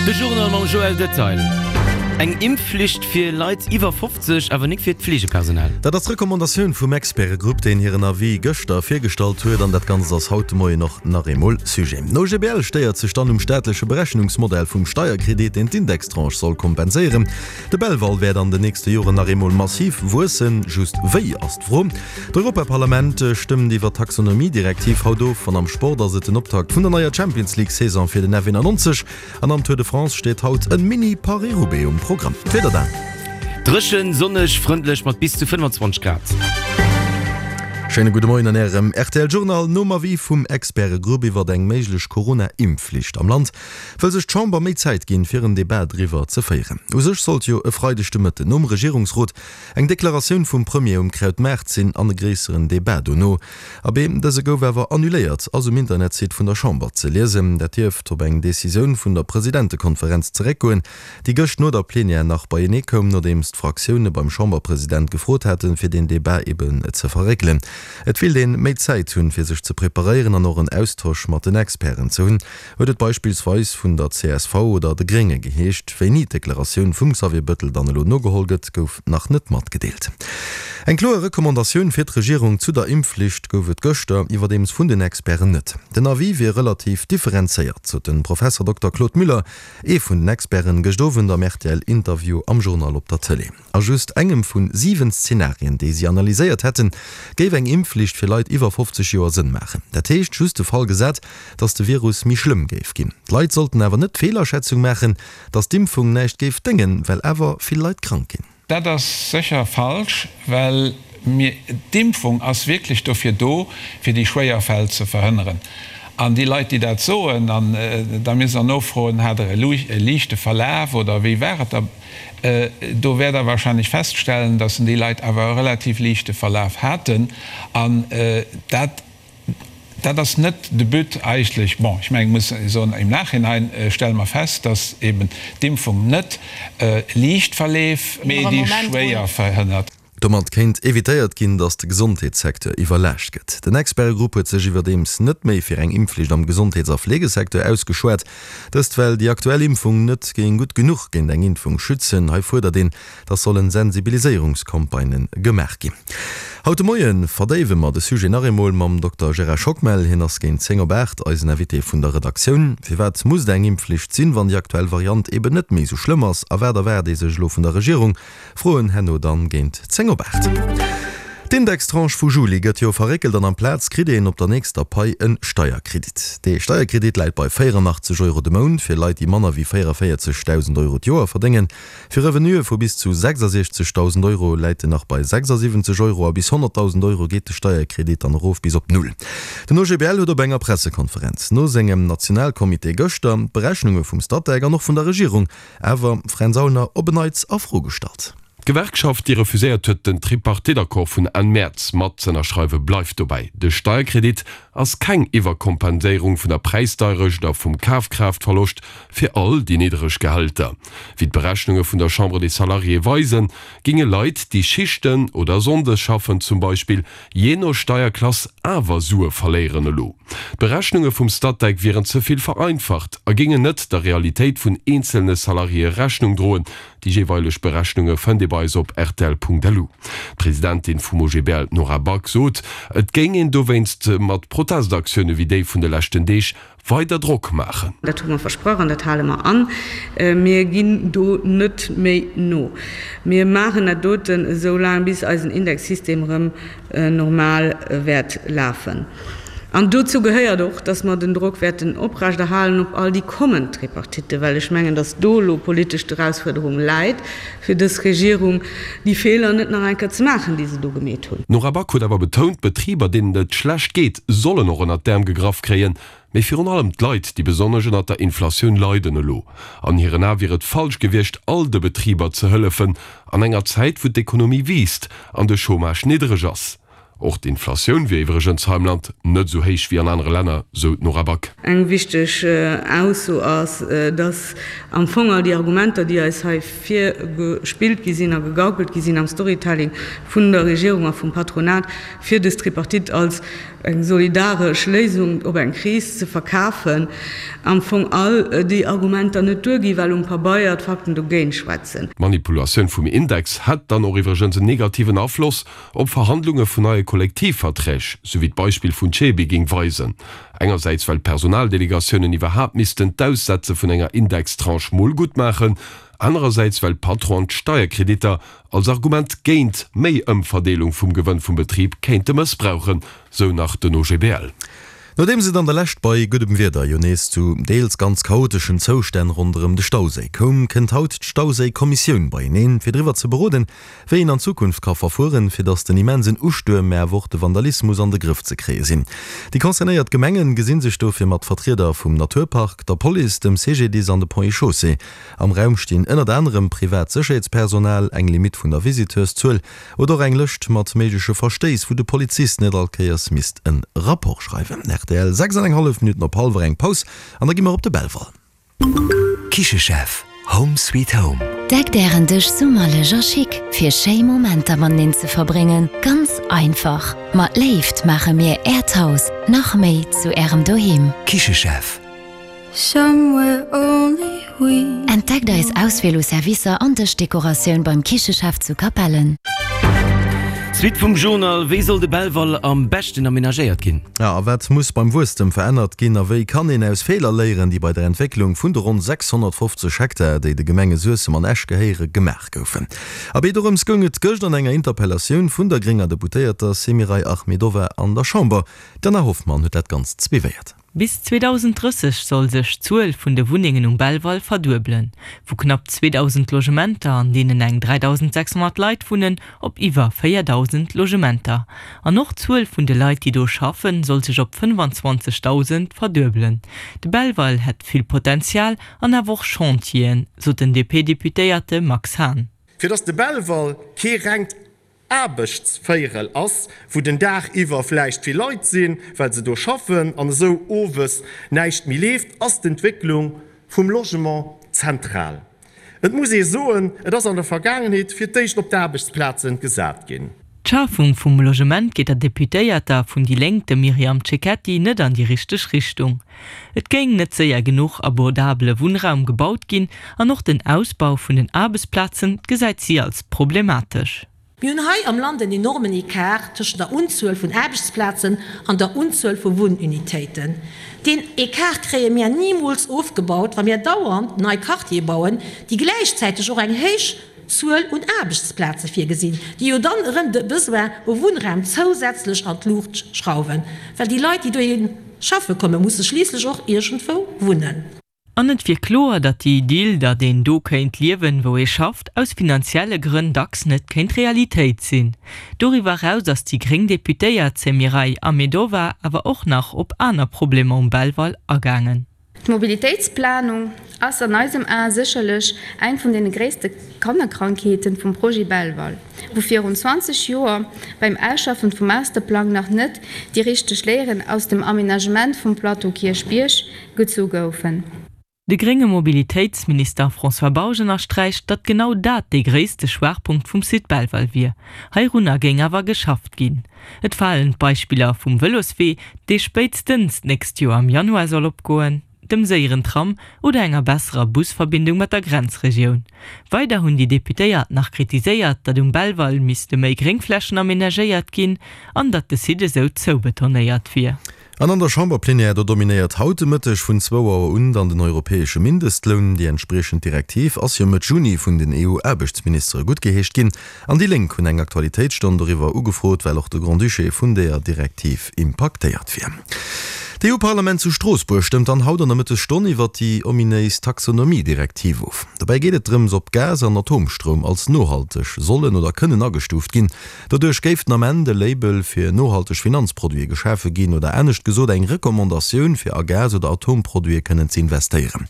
De Journal mam Joël Detail. Eng Impfflicht fir Leit iwwer 50, awer nik fir d'Fleegepersonal. Dat ass d'Recommandatioun vum Expertegrupp, deen hiren Avis gëschter virgestallt huet. An dat Ganzt ass haut de Moien och nach eemol Sujet. Den OGBL stéiert sech dann um staatleche Berechnungsmodell vum Steierkredit, deen d'Indextranche soll kompenséieren. De Belval wäert an den nächste Joren nach eemol massiv wuessen. Just wéi, ass d'Fro. D'Europaparlament stëmmt iwwer d'Taxonomie-Direktiv haut of. An am Sport ass et den Optakt vun der neier Champions-League-Saison fir den F91. An am Tour de France steet haut en Mini-Paris-Roubaix um Programm. D'Wieder dann. Dréchen, sonneg, frëndlech mat bis zu 25 Grad. Schéine gudde Moien an Ärem rtl Journal. Nom Avis vum Expertegrupp iwwert eng méiglech Corona-Impfflicht am Land, wëll sech d'Chamber méi Zäit ginn, fir en Debat driwwer ze féieren. U sech sollt jo e Freideg de Mëtten nom Regierungsrot eng Deklaratioun vum Premier um Krautmaart sinn an e gréisseren Debat dono. Abee, dëse gouf awer annuléiert, ass um Internetsite vun der Chamber ze liesen. Dat dierft op eng Decisioun vun der Presidentekonferenz zeréckgoen, déi gëscht no der Plenière nach beienee koum, nodeems d'Fraktioune beim Chamberpresident gefrot haten, fir deen Debat eben ze verréckelen. Et willt een méi Zäit hunn, fir sech ze preparéieren an och en Austosch mat den Experten ze hunn. Huet et beispillsweis vun der csv oder de Grénge geheescht. Wéini d'Deklaratioun vum Xavier Bëttel dann elo nogeholl gëtt, gouf nach net matgedeelt. Eng kloer Recommandatioun fir d'Regierung zu der Impfflicht gouf et gëschter iwwerdeems vun den Experten net. Den Avis wier relativ differenzéiert, sot de Professer Dokter Claude Müller, ee vun den Experten, gëscht Owend am RTL-Interview am Journal op der Tëlee. A just engem vun 7 Szenarien, déi si analyséiert hätten, géif eng Impfflicht fir Leit iwwer 50 Joer Sënn maachen. Dat heescht, just de Fall gesat, datt de Virus méi schlëmm géif ginn. D'Leit sollten awer net d'Feelaschätzung maachen, datt d'Impfung näischt géif déngen, well awer vill Leit krank ginn. Dat ass sécher falsch, well mir, d'Impfung ass wierklech dofir do, fir déi schwéier Fäll ze verhënneren. An déi Leit, déi dat soen, an da misst Der nofroen, Hat Der e liichte Verlaf oder wéi war et da? Do wäert Der wahrscheinlech feststellen, dass déi Leit awer e relativ liichte Verlaf haten. An dat, dat ass net de But eigentlech. Bon, ech mengen, ech muss soen, im Nachhinein stelle mer fest, dass eben d'Impfung net liicht Verleef, mee déi schwéier verhënnert. Domat kéint evitéiert ginn, datt de Gesondheetssecteur iwwerlaascht gëtt. Den Expertegrupp huet sech iwwerdeems net méi fir eng Impfflicht am Gesondheets a Fleegesecteur ausgeschwat. Dëst well déi aktuell Impfung net géing gutt genuch géint eng Impfung schützen. Hei fuerdert een, datt sollen Sensibiliséierungscampagnë gemaach ginn. Haut de Moie verdéiwe mer de Sujet nach eemol mam Dokter Gérard Schockmel. Hien ass géint 10 op 8 eisen Invité vun der Redaktioun. Firwat muss et eng Impfflicht sinn, wann déi aktuell Variant eben net méi esou schlëmm ass? A wat erwaart ee sech elo vun der Regierung? Froen herno dann géint 10 op 8. D'Indextranche vu Juli gëtt jo verréckelt an amplaz kritt een op der nächster Pai en Steierkredit. Dee Steierkredit läit bei 84 Euro de Mount fir Leit déi manner wéi 44.000 Euro d'Joer verdéngen. Fir Revenuë vu bis zu 66.000 Euro läit en nach bei 76 Euro a bis 100.000 Euro geet de Steierkredit dann erof bis op Null. Den OGBL huet op enger Pressekonferenz no sengem Nationalcomité gëschter d'Berechnunge vum Statec an och vun der Regierung Awer, Fränz Aulner, op en Neits a Fro gestallt. D'Gewerkschaft, déi refuséiert huet, den Tripartite-Accord vun Enn Mäerz mat z'ënnerschreiwen, bleift dobäi. De Steierkredit ass keng Iwwerkompenséierung vun der Präisdeirecht a vum Kafkraaftverloscht fir all déi niddereg Gehälter. Wéi d'Berechnunge vun der Chambre des Salariés weisen, ginge Leit, déi Schichten oder Sonndes schaffen zum Beispill, jee no Steierklass awer Sue verléieren elo. D'Berechnunge vum Statec wieren ze vill vereinfacht a géingen net der Realitéit vun eenzelne Salariéë Rechnung droen. Déi jeeweileg Berechnunge fënnt ee bei eis op rtl.lu. D'Presidentin vum OGBL, d'Nora Back, sot, et géing een dowéinst mat Protestaktioune wéi déi vun de leschten Deeg weider Drock maachen. Dat hu mer versprach an dat hale mer an. Mir ginn do net méi no. Mir maachen dat doten esou laang, bis eisen Indexsystem erëm normal wäert lafen. An dozou gehéiert och, dass mer den Drock wäerten oprechterhalen op all déi kommend Tripartitten, well ech mengen, dass do elo politesch d'Erausfuerderung läit fir dës Regierung, déi Feeler net nach eng Kéier ze maachen, déi se do gemeet hunn. D'Nora Back huet awer betount, Betriber, deenen et schlecht geet, sollen och ënnert d'Äerm gegraff kréien. Mee virun allem d'Leit, déi besonnesch ënnert der Inflatioun leiden elo. An hiren Ae wier et falsch gewiescht, all de Betriber ze hëllefen an enger Zäit, wou d'Ekonomie wiisst an de Chômage niddereg ass. Och d'Inflatioun wier iwwregens hei am Land net esou héich wéi an anere Länner, sou d'Nora Back. Eng wichteg Ausso ass, dass am Fong all déi Argumenter, déi eis hei virgespillt gi sinn a gegaukelt gi sinn am Storytelling vun der Regierung a vum Patronat, fir dës Tripartite als eng solidaresch Léisung op eng Kris ze verkafen, am Fong all déi Argumenter net duerginn, well um Pabeier d'Fakten dogéint schwätzen. D'Manipulatioun vum Index hätt dann och iwwregens en negativen Afloss op Verhandlunge vun neie Kollektivverträg, sou wéi d'Beispill vun Cebi géing weisen. Engersäits well d'Personaldelegatiounen iwwerhaapt missten d'Aussetze vun enger Indextranche mol gutt maachen, anerersäits well d'Patronen d'Steierkreditter als Argument géint méi Ëmverdeelung vum Gewënn vum Betrib kéinte mëssbrauchen, sou nach den OGBL. Nodeems et an der Lescht bei guddem Wieder jo nees zu deels ganz chaoteschen Zoustänn ronderëm de Stauséi koum, kënnt haut d'Stauséi-Kommissioun beieneen, fir driwwer ze beroden, wéi een an Zukunft ka verfueren, fir datt den immensen Ustuerm, mä awer och de Vandalismus an de Grëff ze kréie sinn. Déi concernéiert Gemengen gesi sech dofir mat Vertrieder vum Naturpark, der Police, dem CGDIS an de Ponts et Chaussées. Am Raum stinn ënnert anerem privat Sécherheetspersonal, eng Limitt vun der Visiteurszuel, Oder och eng Lëscht mat méigleche Verstéiss, wou de Polizist net all Kéiers misst en Rapport schreiwen. Rtl, 6 an eng hallef Minutten op hallwer eng Paus an da gi mer op de Belval. Kichechef, Home sweet home. Deckt ären Dësch summerlech a chic fir schéi Momenter mateneen ze verbréngen. Ganz einfach, mat Léift maache mir äert Haus nach méi zu ärem Doheem. Kichechef. Entdeckt eis Auswiel u Servicer an Dëschdekoratioun beim Kichechef zu Capellen. D'Suite vum Journal, Wéi soll de Belval am beschten amenagéiert ginn? A wat muss beim Wuesstem verännert ginn? A wéi kann een aus Feeler léieren, déi bei der Entwécklung vun de ronn 650 Hektar, déi de Gemenge Suessem an Esch gehéiere, gemaach goufen? Abee, dorëms goung et gëscht an enger Interpellatioun vun der grénger Deputéierter Semiray Ahmedova an der Chamber. D'Anna Hoffmann huet dat Ganzt suivéiert. Bis 2030 soll sech d'Zuel vun de Wunnengen um Belval verduebelen, vu knapp 2.000 Logementer, an deenen eng 3.600 Leit wunnen, op iwwer 4.000 Logementer. An och d'Zuel vun de Leit, déi do schaffen, soll sech op 25.000 verduebelen. De Belval hätt vill Potenzial an awer och Chantieren, sot den DP-Deputéierte Max Hahn. Fir dass de Belval kee rengt Aarbechtsvéierel ass, wou den Dag iwwer vläicht vill Leit sinn, well se do schaffen an esou owes näischt méi leeft, ass d'Entwécklung vum Logement zentral. Et muss ee soen, et ass an der Vergaangenheet fir d'éischt op d'Aarbechtsplazen gesat ginn. D'Schafung vum Logement geet der Deputéierter vun déi Lénk, dem Myriam Cecchetti, net an déi richteg Richtung. Et géing net séier genuch abordabele Wunnraum gebaut ginn an och den Ausbau vun den Aarbechtsplazen gesäit si als problematesch. Mir hunn hei am Land en enormen Ecart tëschent der Unzuel vun Aarbechtsplazen an der Unzuel vu Wunnunitéiten. Deen Ecart kréie mär nimools ofgebaut, wa mär dauernd nei Quartiere bauen, déi gläichzäiteg och eng héich Zuel un Aarbechtsplaze virgesinn, déi jo dann erëm de Besoin u Wunnraum zousätzlech an d'Luucht schrauwen, well déi Leit, déi dohi schaffe kommen, musse schliisslech och iergendwou wunnen. An et wier kloer, datt déi Idyll, datt een do kéint liewen, wou ee schafft, aus finanzielle Grënn dacks net kéint Realitéit sinn. Doriwwer eraus ass déi gréng Deputéiert Semiray Ahmedova awer och nach op aner Problemer um Belval agaangen. D'Mobilitéitsplanung ass an eisem Ae sécherlech eng vun deene gréisste Kannerkrankheeten vum Projet Belval, wou virun 20 Joer beim Ausschaffen vum Masterplang nach net déi richteg Léieren aus dem Aménagement vum Plateau Kierchbierg gezu goufen. De grénge Mobilitéitsminister François Bausch ënnersträicht, datt genau dat dee gréisste Schwaachpunkt vum Site Belval wier. Heirunner géing awer geschafft ginn. Et falen d'Beispiller vum Vëloswee, dee spéitstens d'nächst Joer am Januar soll opgoen, dem séieren Tram oder enger besserer Busverbindung mat der Grenzregioun. Weider hunn déi Deputéiert nach kritiséiert, datt um Belval misste méi Gréngflächen amenagéiert ginn an datt de Site esou zoubetonéiert wier. An an der Chamberplenière, do dominéiert haut de Mëtteg vun zwou Auer un dann den europäesche Mindestloun. Déi entspriechend Direktiv ass jo Mëtt Juni vun den EU-Aarbechtsministere guttgeheescht ginn. An déi Lénk hunn eng Aktualitéitsstonn doriwwer ugefrot, well och de Grand-Duché vun deeër Direktiv impaktéiert wier. D'EU-Parlament zu Stroossbuerg stëmmt dann haut an der Mëttesstonn iwwert déi ominéis Taxonomie-Direktiv of. Dobäi geet et drëms, ob Gas an Atomstroum als nohalteg sollen oder kënnen agestuuft ginn. Doduerch géif den Ament e Label fir nohalteg Finanzproduite geschafe ginn, oder anescht gesot. gesot eng Recommandatioun, fir a Gas oder Atomproduite kënnen ze investéieren.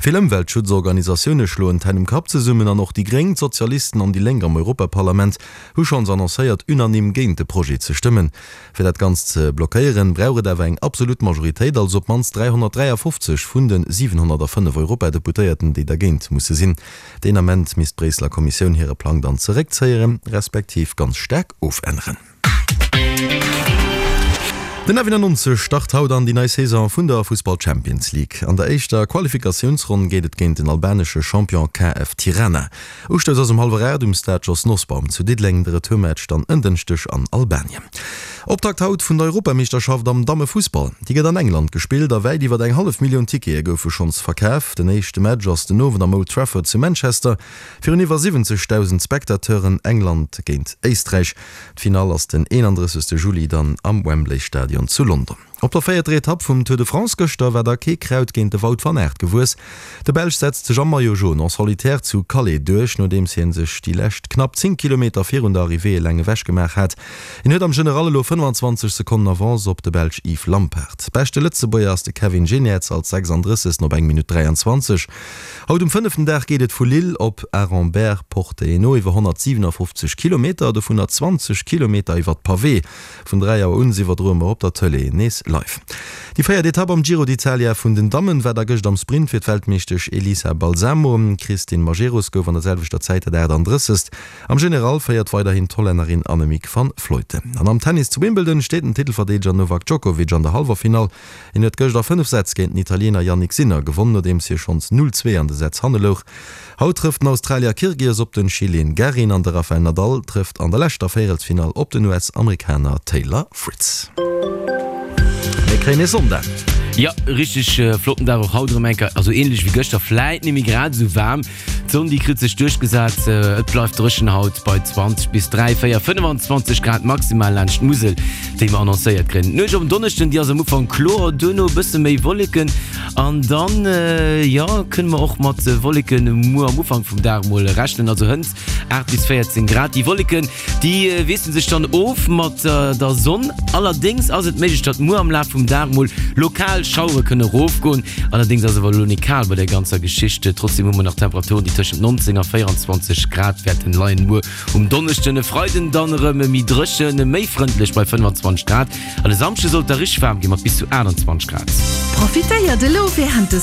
Vill Ëmweltschutzorganisatioune schloen d'Hänn um Kapp zesummen an och déi Gréng, d'Sozialisten an déi Lénk am Europaparlament hu schonns annoncéiert, unanime géint de Projet ze stëmmen. Fir dat Ganzt ze blockéieren, brauch et awer eng absolut Majoritéit, also op d'mannst 353 vun de 705 Europadeputéierten, déi dergéint musse sinn. Deen Ament misst d'Bréisseler Kommissioun hire Plang dann zeréckzéieren, respektiv ganz staark ofänneren. Den F91 start haut an déi nei Saison vun der Fussball-Champions League. An der éischter Qualifikatiounsronn geet et géint den albanesche Champion KF Tirana. Ustouss ass um hallwer 8 um Stade Jos Nosbaum zu Diddeleng, de Retourmatch dann en Dënschdeg an Albanien. Optakt haut vun der Europameeschterschaft am Dammefussball. Déi gëtt an England gespillt a wäit iwwer eng hallef Millioun Tickete goufe schonns verkaf. Den éischte Match ass den Owend am Old Trafford zu Manchester virun iwwer 70.000 Spectateuren, England géint Éisträich. D'Finall ass den 31. Juli dann am Wembley Stadion zu London. Op der véierter Etapp vum Tour de France gëschter war da kee Kraut géint de Wout van Aert gewuess. De Belsch setzt sech am Maillot jaune en solitaire zu Calais duerch, nodeems hie sech déi lescht knapp 10 Kilometer virun der Arrivée eleng ewech gemaach hat. Hien huet am General elo 25 Sekonnen Avance op de Belsch Yves Lampaert. Beschte Lëtzebuerger ass de Kevin Geniets als 36. op eng Minutt 23. Haut um fënneften Dag geet et vu Lille op Aremberg-Porte-Hainaut iwwer 157 Kilometer, dovunner 20 Kilometer iwwer d'Pawee. Vun 3 Auer un iwwerdroe mer op der Tëlee nees live. Déi véiert Etapp am Giro d'Italia vun den Dammen war da gëscht am Sprint fir d'Weltmeeschtesch Elisa Balsamo. D'Christine Majerus gouf an der selwechter Zäit dat 38. Am General féiert weiderhin d'Hollännerin Annemiek van Vleuten. An am Tennis zu Wimbledon steet den Titelverdeedeger Novak Djokovic an der Hallwerfinall. Hien huet gëscht a 5 Sätz géint den Italiener Jannik Sinner gewonn, nodeems hie schonns 0, 2 an de Sätz hanne louch. Haut trëfft den Australier Kyrgios op den Chileen Garin an de Rafael Nadal trëfft an der leschter Véierelsfinall op den US-Amerikaner Taylor Fritz. Mir kréien ee Sonndag. Jo, richteg flotten Dag och haut erëm eng Kéier, also ähnlech wéi gëschter, vläit net méi grad esou waarm. D'Sonn déi kritt sech duerchgesat, et bleift dréchen haut bei 20 bis 3, 4, 25 Grad maximal laanscht d'Musel, déi mer annoncéiert kréien. D'Nuecht op en Donneschden déi ass am Ufank kloer, duerno e bësse méi Wolleken An dann, jo, kënne mer och mat Wolleken muer am Ufank vum Dag mol rechnen, also hënt 8 bis 14 Grad. Déi Wolleken, déi wiessele sech dann of mat der Sonn. Allerdéngs ass et méiglech, datt muer am Laf vum Dag mol lokal Schauere kënne erofgoen. Allerdéngs ass awer elo nik kal bei der ganzer Geschicht. Trotzdeem hu mer nach Temperaturen, déi tëschent 19 a 24 Grad wäerten leien muer um Donneschden. E Freiden dann erëm méi dréchen, méi frëndlech bei 25 Grad. An e Samschde soll et da richteg waarm ginn, mat bis zu 28 Grad. Profitéiert elo wärend de.